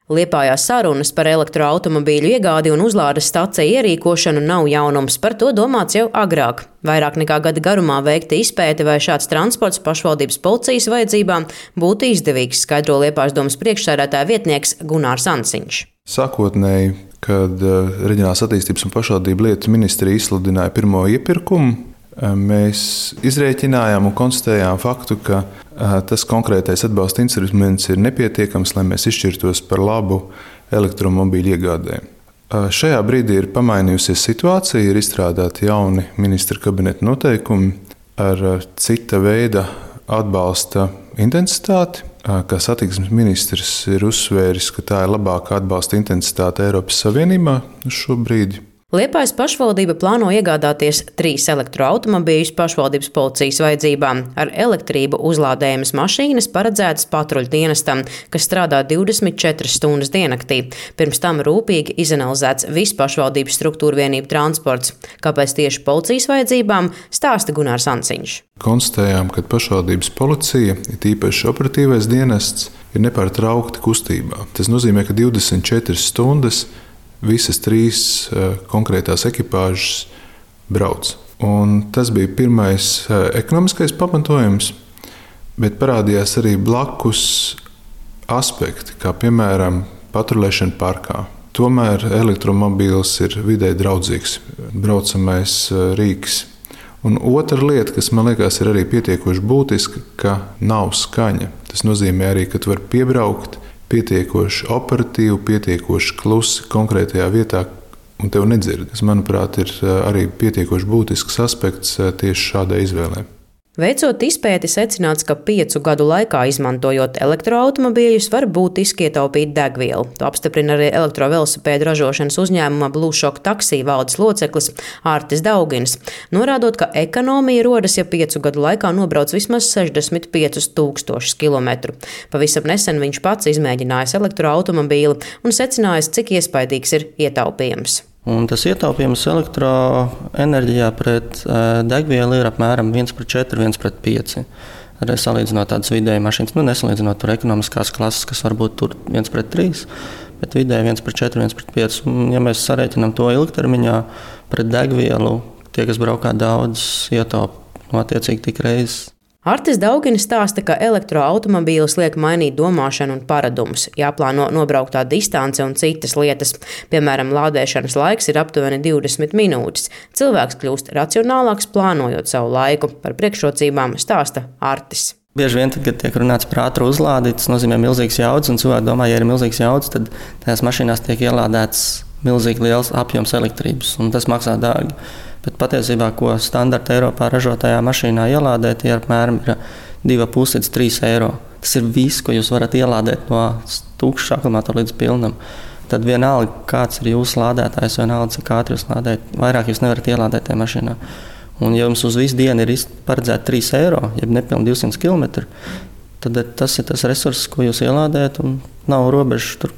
Liepājā sarunas par elektroautomobīļu iegādi un uzlādes staciju ierīkošanu nav jaunums, par to domāts jau agrāk. Vairāk nekā gada garumā veikta izpēte, vai šāds transports pašvaldības policijas vajadzībām būtu izdevīgs, skaidro Liepājas domas priekšsēdētāja vietnieks Gunārs Ansiņš. Sākotnēji, kad Reģionālās attīstības un pašvaldību lietu ministrija izsludināja pirmo iepirkumu, mēs izrēķinājām un konstatējām faktu, ka tas konkrētais atbalsta instruments ir nepietiekams, lai mēs izšķirtos par labu elektromobīļu iegādē. Šajā brīdī ir pamainījusies situācija, ir izstrādāti jauni ministra kabineta noteikumi ar cita veida atbalsta intensitāti. Kā satiksmes ministrs ir uzsvēris, ka tā ir labākā atbalsta intensitāte Eiropas Savienībā šobrīd. Liepājas pašvaldība plāno iegādāties 3 elektroautomobīļus pašvaldības policijas vajadzībām. Ar elektrību uzlādējamas mašīnas paredzētas patruļu dienestam, kas strādā 24 stundas diennaktī. Pirms tam rūpīgi izanalizēts viss pašvaldības struktūra vienību transports. Kāpēc tieši policijas vajadzībām, stāsta Gunārs Ansiņš. Konstatējām, ka pašvaldības policija, it īpaši operatīvais dienests, ir nepārtraukti kustībā. Tas nozīmē, ka 24 stundas visas 3 konkrētās ekipāžas brauc. Un tas bija pirmais ekonomiskais pamatojums, bet parādījās arī blakus aspekti, kā piemēram patruļēšana parkā. Tomēr elektromobīls ir vidē draudzīgs, braucamais rīks. Un otra lieta, kas man liekas ir arī pietiekoši būtiska, ka nav skaņa. Tas nozīmē arī, ka tu vari piebraukt pietiekoši operatīvi, pietiekoši klusi konkrētajā vietā, un tev nedzird. Tas, manuprāt, ir arī pietiekoši būtisks aspekts tieši šādai izvēlei. Veicot izpēti, secināts, ka 5 gadu laikā, izmantojot elektroautomobīļus, var būtiski ietaupīt degvielu. To apstiprina arī elektrovelosipēdu ražošanas uzņēmuma Blue Shock Taxi valdes loceklis Artis Daugins, norādot, ka ekonomija rodas, ja 5 gadu laikā nobrauc vismaz 65,000 kilometru. Pavisam nesen viņš pats izmēģinājis elektroautomobīli un secinājis, cik iespaidīgs ir ietaupījums. Un tas ietaupījums elektroenerģijā pret degvielu ir apmēram 1:4, 1:5. Arī salīdzinot tādas vidēji mašīnas, nesalīdzinot tur ekonomiskās klases, kas varbūt tur 1:3, bet vidēji 1:4, 1:5. Un, ja mēs sarēķinām to ilgtermiņā pret degvielu, tie, kas braukā daudz, ietaupa attiecīgi tik reizes. Artis Daugins stāsta, ka elektroautomobīlis liek mainīt domāšanu un paradumus, jāplāno nobrauktā distance un citas lietas. Piemēram, lādēšanas laiks ir aptuveni 20 minūtes. Cilvēks kļūst racionālāks, plānojot savu laiku. Par priekšrocībām stāsta Artis. Bieži vien, tad, kad tiek runāts par ātru uzlādi, tas nozīmē milzīgs jauds, un cilvēki domā, ja ir milzīgs jauds, tad tajās mašīnās tiek ielādēts milzīgi liels apjoms elektrības, un tas maksā dārgi. Bet patiesībā, ko standarta Eiropā ražotajā mašīnā ielādēt, ir apmēram 2,5 līdz 3 eiro. Tas ir viss, ko jūs varat ielādēt no tukša akumulātora līdz pilnam. Tad vienalga, kāds ir jūsu lādētājs, vienalga, cik ātri jūs lādējat, vairāk jūs nevarat ielādēt tajā mašīnā. Un ja jums uz visu dienu ir paredzēta 3 eiro, jeb nepilni 200 km, tad tas ir tas resurss, ko jūs ielādējat, un nav robežas tur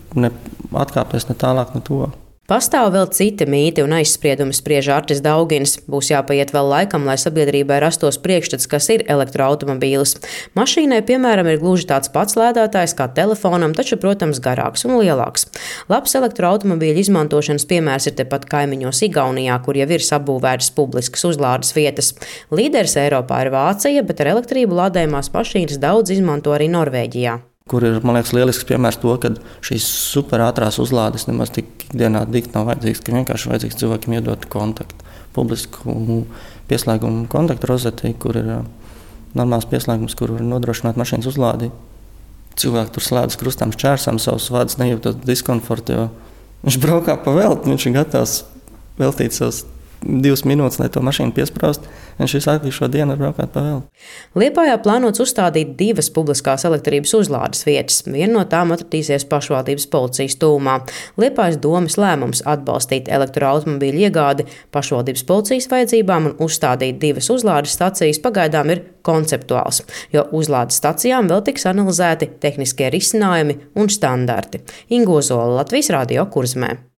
atkāpties ne tālāk, ne to. Pastāv vēl citi mīti un aizspriedumi, spriež Artis Daugins. Būs jāpaiet vēl laikam, lai sabiedrībai rastos priekšstats, kas ir elektroautomobīlis. Mašīnai, piemēram, ir gluži tāds pats lēdātājs kā telefonam, taču, protams, garāks un lielāks. Labs elektroautomobīļu izmantošanas piemērs ir tepat kaimiņos Igaunijā, kur jau ir sabūvētas publiskas uzlādes vietas. Līderis Eiropā ir Vācija, bet ar elektrību lādējumās mašīnas daudz izmanto arī Norvēģijā. Kur ir, man liekas, lielisks piemērs to, ka šīs superātrās uzlādes nemaz tik ikdienā dikt nav vajadzīgs, ka vienkārši vajadzīgs cilvēkiem iedot kontaktu, publisku pieslēgumu kontaktu rozetī, kur ir normāls pieslēgums, kur var nodrošināt mašīnas uzlādi. Cilvēki tur slēdz krustām šķērsām savus vadus, nejūtot diskomfortu, jo viņš braukā pa velti, viņš ir gatavs veltīt savus 2 minūtes, lai to mašīnu piespraust, viņš visu šo dienu var braukāt pa velti. Liepājā plānots uzstādīt 2 publiskās elektrības uzlādes vietas. Viena no tām atradīsies pašvaldības policijas tūmā. Liepājas domas lēmums atbalstīt elektroautomobīļu iegādi pašvaldības policijas vajadzībām un uzstādīt 2 uzlādes stacijas pagaidām ir konceptuāls, jo uzlādes stacijām vēl tiks analizēti tehniskie risinājumi un standarti. Inga Ozola, Latvijas Radio Kurzemē.